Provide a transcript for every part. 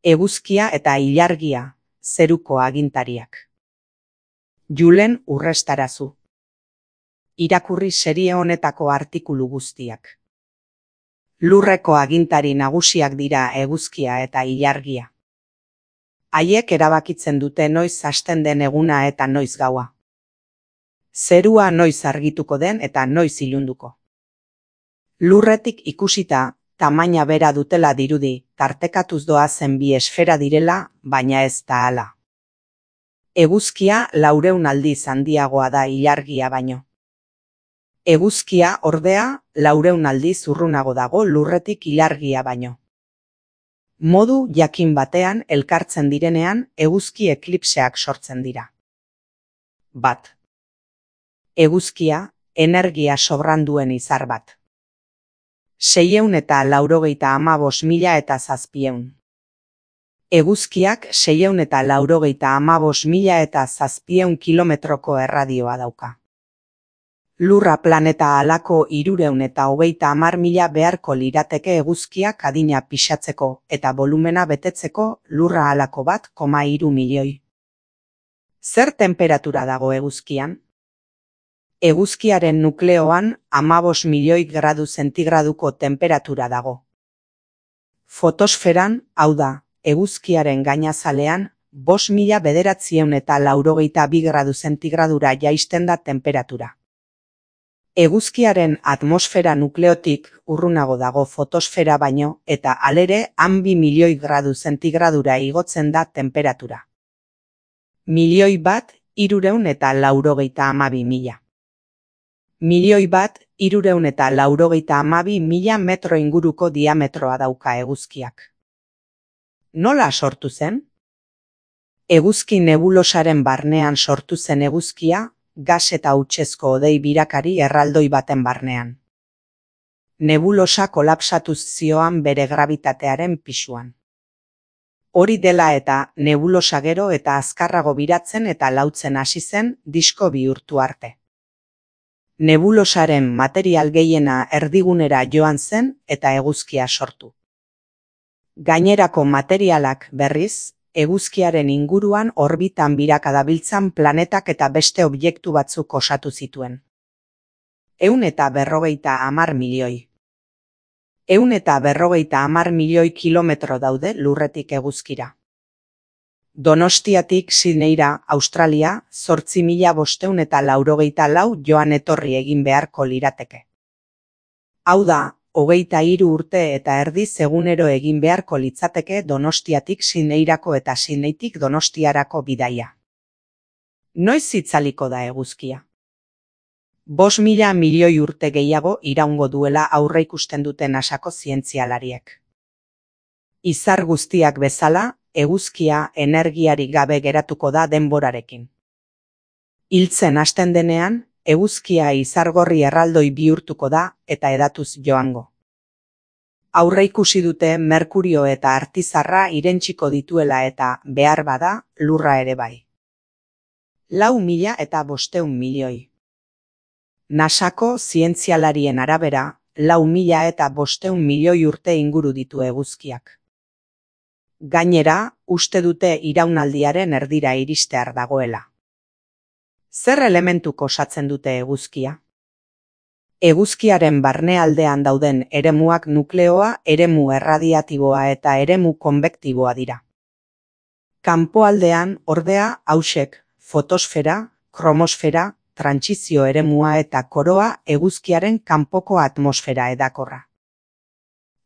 Eguzkia eta ilargia, zeruko agintariak. Julen Urrestarazu. Irakurri serie honetako artikulu guztiak. Lurreko agintari nagusiak dira eguzkia eta ilargia. Haiek erabakitzen dute noiz hasten den eguna eta noiz gaua. Zerua noiz argituko den eta noiz ilunduko. Lurretik ikusita, tamaina bera dutela dirudi, tartekatuz doazen bi esfera direla, baina ez da hala. Eguzkia 400 aldiz handiagoa da ilargia baino. Eguzkia, ordea, 400 aldiz urrunago dago lurretik ilargia baino. Modu jakin batean elkartzen direnean eguzki eklipseak sortzen dira. 1. Eguzkia, energia sobran duen izar bat. 695.700. Eguzkiak 695.700 kilometroko erradioa dauka. Lurra planeta halako 330.000 beharko lirateke eguzkiak adina pixatzeko eta volumena betetzeko Lurra halako 1,3 milioi. Zer temperatura dago eguzkian? Eguzkiaren nukleoan 15 milioi gradu zentigraduko temperatura dago. Fotosferan, hau da, eguzkiaren gainazalean, 5.982 gradu zentigradura jaisten da temperatura. Eguzkiaren atmosfera nukleotik urrunago dago fotosfera baino eta halere han 2 milioi gradu zentigradura igotzen da temperatura. 1.192.000. 1.192.000 metro inguruko diametroa dauka eguzkiak. Nola sortu zen? Eguzki nebulosaren barnean sortu zen eguzkia, gas eta hautsezko hodei birakari erraldoi baten barnean. Nebulosa kolapsatuz zioan bere grabitatearen pisuan. Hori dela eta nebulosa gero eta azkarrago biratzen eta lautzen hasi zen disko bihurtu arte. Nebulosaren material gehiena erdigunera joan zen eta eguzkia sortu. Gainerako materialak berriz, eguzkiaren inguruan orbitan biraka dabiltzan planetak eta beste objektu batzuk osatu zituen. 150 milioi. 150 milioi kilometro daude lurretik eguzkira. Donostiatik Sydneyra, Australia, 8.584 joan etorri egin beharko lirateke. Hau da, 23 urte eta erdiz egunero egin beharko litzateke Donostiatik Sydneyrako eta Sydneytik Donostiarako bidaia. Noiz itzaliko da eguzkia? 5.000 milioi urte gehiago iraungo duela aurreikusten dute NASAko zientzialariek. Izar guztiak bezala, eguzkia energiarik gabe geratuko da denborarekin. Hiltzen hasten denean, eguzkia izargorri erraldoi bihurtuko da eta edatuz joango. Aurreikusi dute Merkurio eta Artizarra irentsiko dituela eta behar bada Lurra ere bai. 4.500 milioi. NASAko zientzialarien arabera, 4.500 milioi urte inguru ditu eguzkiak. Gainera, uste dute iraunaldiaren erdira iristear dagoela. Zer elementuk osatzen dute eguzkia? Eguzkiaren barnealdean dauden eremuak nukleoa, eremu erradiatiboa eta eremu konbektiboa dira. Kanpoaldean, ordea, hausek, fotosfera, kromosfera, trantsizio eremua eta koroa eguzkiaren kanpoko atmosfera edakorra.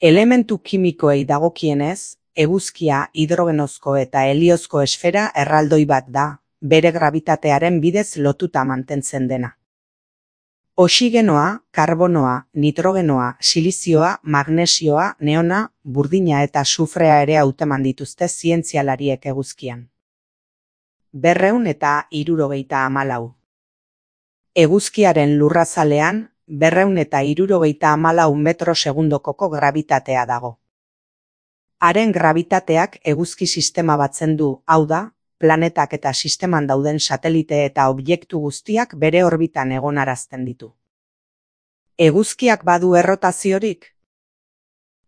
Elementu kimikoei dagokienez, eguzkia hidrogenozko eta heliozko esfera erraldoi bat da, bere grabitatearen bidez lotuta mantentzen dena. Oxigenoa, karbonoa, nitrogenoa, silizioa, magnesioa, neona, burdina eta sufrea ere hauteman dituzte zientzialariek eguzkian. 274. Eguzkiaren lurrazalean, 274 metro segundokoko grabitatea dago. Haren grabitateak eguzki sistema batzen du, hau da, planetak eta sisteman dauden satelite eta objektu guztiak bere orbitan egonarazten ditu. Eguzkiak badu errotaziorik?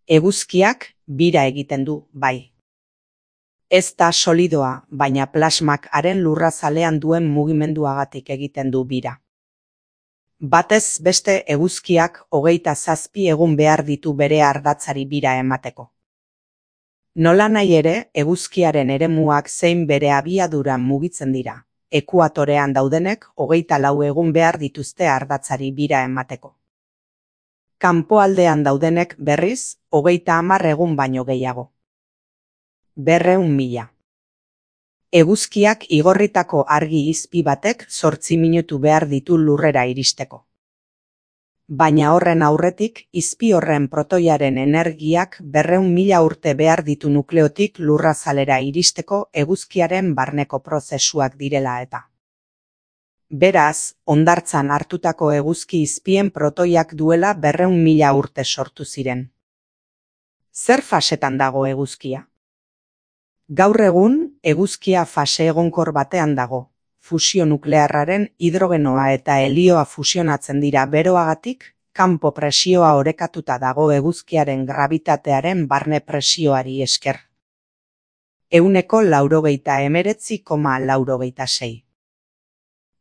Eguzkiak bira egiten du, bai. Ez da solidoa, baina plasmak haren lurrazalean duen mugimenduagatik egiten du bira. Batez beste eguzkiak 27 egun behar ditu bere ardatzari bira emateko. Nolanahi ere, eguzkiaren eremuak zein bere abiaduran mugitzen dira. Ekuatorean daudenek 24 egun behar dituzte ardatzari bira emateko. Kanpoaldean daudenek berriz 30 egun baino gehiago. 200.000. Eguzkiak igorritako argi izpi batek 8 minutu behar ditu lurrera iristeko. Baina horren aurretik, izpi horren protoiaren energiak 200.000 urte behar ditu nukleotik lurrazalera iristeko eguzkiaren barneko prozesuak direla eta. Beraz, hondartzan hartutako eguzki izpien protoiak duela 200.000 urte sortu ziren. Zer fasetan dago eguzkia? Gaur egun, eguzkia fase egonkor batean dago. Fusio nuklearraren hidrogenoa eta helioa fusionatzen dira beroagatik, kanpo presioa orekatuta dago eguzkiaren grabitatearen barne presioari esker. 189,86.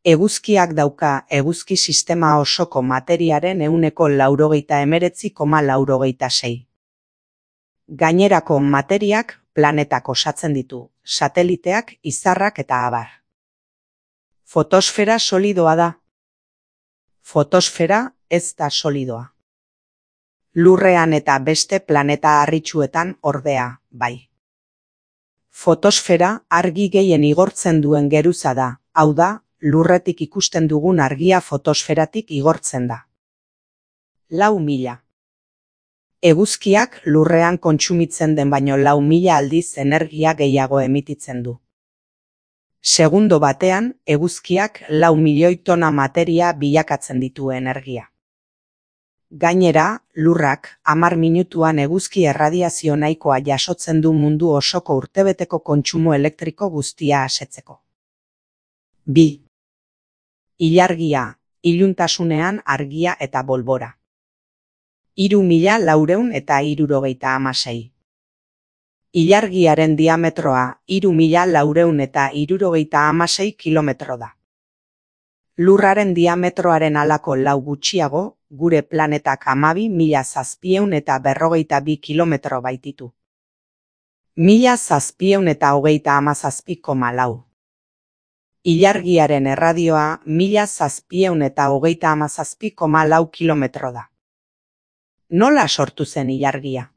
Eguzkiak dauka eguzki sistema osoko materiaren 189,86. Gainerako materiak planetak osatzen ditu, sateliteak, izarrak eta abar. Fotosfera solidoa da. Fotosfera ez da solidoa. Lurrean eta beste planeta harritsuetan ordea, bai. Fotosfera argi gehien igortzen duen geruza da, hau da, lurretik ikusten dugun argia fotosferatik igortzen da. 4.000. Eguzkiak lurrean kontsumitzen den baino 4.000 aldiz energia gehiago emititzen du. Segundo batean, eguzkiak 4 milioi tona materia bilakatzen ditu energia. Gainera, lurrak 10 minutuan eguzki erradiazio nahikoa jasotzen du mundu osoko urtebeteko kontsumo elektriko guztia asetzeko. 2. Ilargia, iluntasunean argia eta bolbora. 3.476. Ilargiaren diametroa 3.476 kilometro da. Lurraren diametroaren halako 4 gutxiago, gure planetak 12.752 kilometro baititu. 1.737,4. Ilargiaren erradioa 1.737,4 kilometro da. Nola sortu zen ilargia?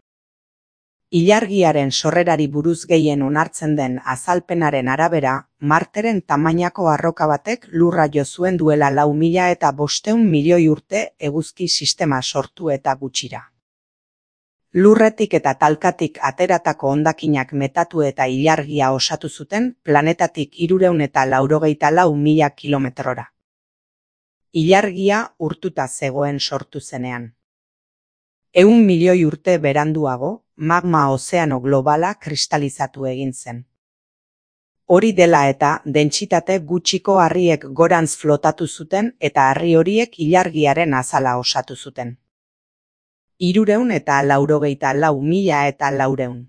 Ilargiaren sorrerari buruz gehien onartzen den azalpenaren arabera, Marteren tamainako arroka batek lurra jo zuen duela 4.500 milioi urte eguzki sistema sortu eta gutxira. Lurretik eta talkatik ateratako hondakinak metatu eta ilargia osatu zuten planetatik 384.000 kilometrora. Ilargia urtuta zegoen sortu zenean. 100 milioi urte beranduago, magma ozeano globala kristalizatu egin zen. Hori dela eta dentsitate gutxiko harriek gorantz flotatu zuten eta harri horiek ilargiaren azala osatu zuten. 384.400.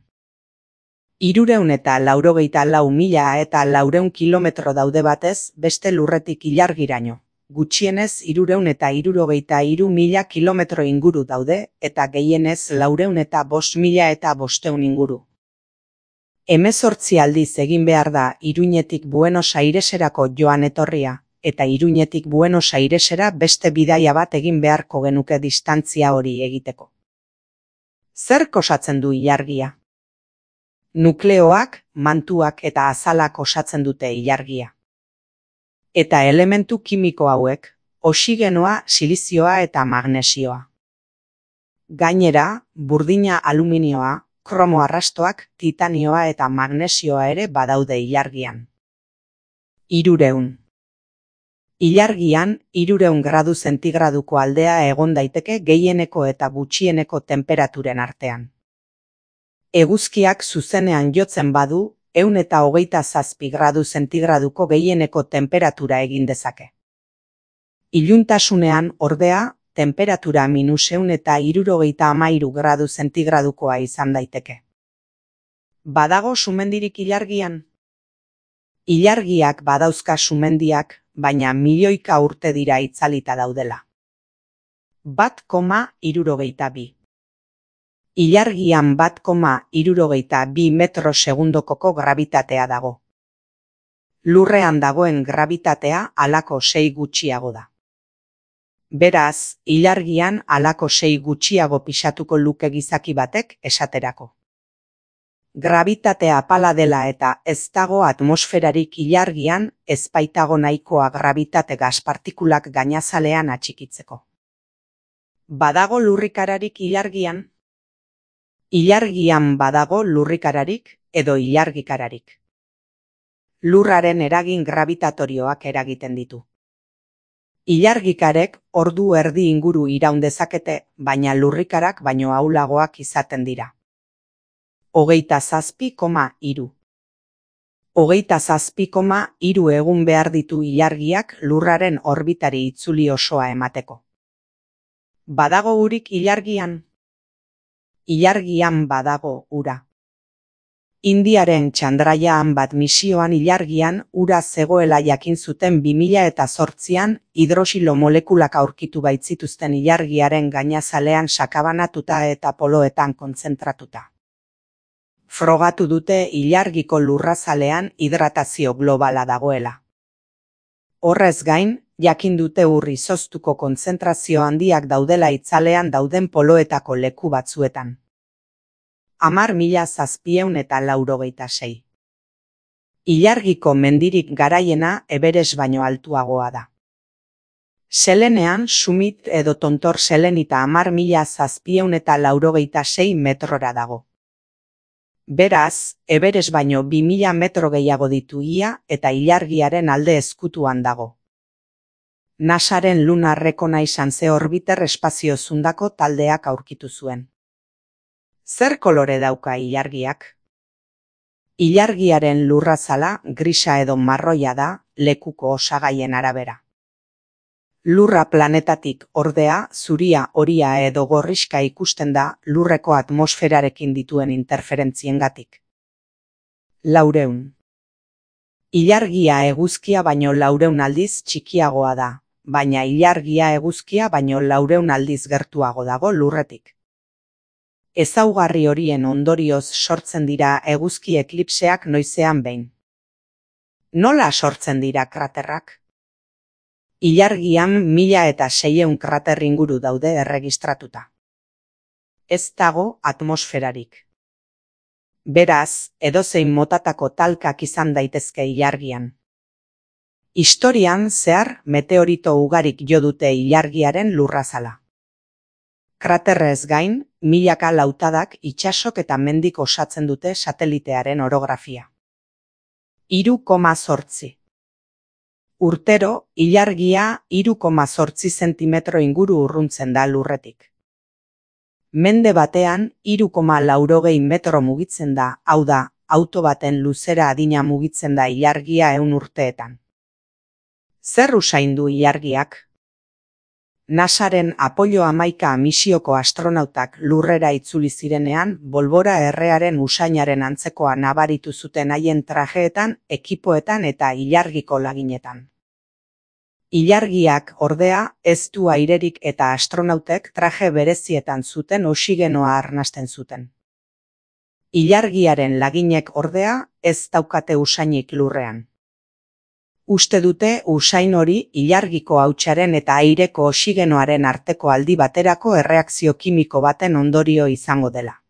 384.400 kilometro daude batez beste lurretik ilargiraino. Gutxienez 363.000 kilometro inguru daude eta gehienez 405.500 inguru. 18 aldiz egin behar da Iruñetik Buenos Aireserako joan etorria, eta Iruñetik Buenos Airesera beste bidaia bat egin beharko genuke distantzia hori egiteko. Zer osatzen du ilargia? Nukleoak, mantuak eta azalak osatzen dute ilargia. Eta elementu kimiko hauek, oxigenoa, silizioa eta magnesioa. Gainera, burdina aluminioa, kromo arrastoak, titanioa eta magnesioa ere badaude ilargian. 300. Ilargian, 300 gradu zentigraduko aldea egon daiteke gehieneko eta gutxieneko temperaturen artean. Eguzkiak zuzenean jotzen badu, 127 gradu zentigraduko gehieneko temperatura egin dezake. Iluntasunean, ordea, temperatura -173 gradu zentigradukoa izan daiteke. Badago sumendirik ilargian? Ilargiak badauzka sumendiak, baina milioika urte dira itzalita daudela. 1,62. Ilargian 1,62 metro segundokoko grabitatea dago. Lurrean dagoen grabitatea halako 6 gutxiago da. Beraz, ilargian halako 6 gutxiago pisatuko luke gizaki batek esaterako. Grabitatea apala dela eta ez dago atmosferarik ilargian, ez baitago nahikoa grabitate gas partikulak gainazalean atxikitzeko. Badago lurrikararik ilargian? Ilargian badago lurrikararik edo ilargikararik. Lurraren eragin gravitatorioak eragiten ditu. Ilargikarek ordu erdi inguru iraun dezakete, baina lurrikarak baino ahulagoak izaten dira. 27,3. 27,3 egun behar ditu ilargiak lurraren orbitari itzuli osoa emateko. Badago urik ilargian? Ilargian badago ura. Indiaren Chandrayaan 1 misioan ilargian ura zegoela jakin zuten 2008an hidrosilo molekulak aurkitu baitzituzten ilargiaren gainazalean sakabanatuta eta poloetan kontzentratuta. Frogatu dute ilargiko lurrazalean hidratazio globala dagoela. Horrez gain, jakin dute ur izoztuko kontzentrazio handiak daudela itzalean dauden poloetako leku batzuetan. 10.786. Ilargiko mendirik garaiena Everest baino altuagoa da. Selenean Summit edo tontor selenita 10.786 metrora dago. Beraz, Everest baino 2000 metro gehiago ditu ia eta ilargiaren alde ezkutuan dago. NASAren Lunar Reconnaissance Orbiter espazio zundako taldeak aurkitu zuen. Zer kolore dauka ilargiak? Ilargiaren lurrazala grisa edo marroia da lekuko osagaien arabera. Lurra planetatik ordea zuria, horia edo gorrixka ikusten da lurreko atmosferarekin dituen interferentziengatik. 400. Ilargia eguzkia baino 400 aldiz txikiagoa da, baina ilargia eguzkia baino 400 aldiz gertuago dago lurretik. Ezaugarri horien ondorioz sortzen dira eguzki eklipseak noizean behin. Nola sortzen dira kraterrak? Ilargian 1600 krater inguru daude erregistratuta. Ez dago atmosferarik. Beraz, edozein motatako talkak izan daitezke ilargian. Historian zehar meteorito ugarik jo dute ilargiaren lurrazala. Kraterrez gain, milaka lautadak itsasok eta mendik osatzen dute satelitearen orografia. 3,8. Urtero, ilargia 3,8 zentimetro inguru urruntzen da lurretik. Mende batean 3,80 metro mugitzen da, hau da, auto baten luzera adina mugitzen da ilargia 100 urteetan. Zer usain du ilargiak? NASAren Apollo 11 misioko astronautak lurrera itzuli zirenean, bolbora errearen usainaren antzekoa nabaritu zuten haien trajeetan, ekipoetan eta ilargiko laginetan. Ilargiak ordea ez du airerik eta astronautek traje berezietan zuten oxigenoa arnasten zuten. Ilargiaren laginek ordea ez daukate usainik lurrean. Uste dute usain hori ilargiko hautsaren eta aireko oxigenoaren arteko aldi baterako erreakzio kimiko baten ondorio izango dela.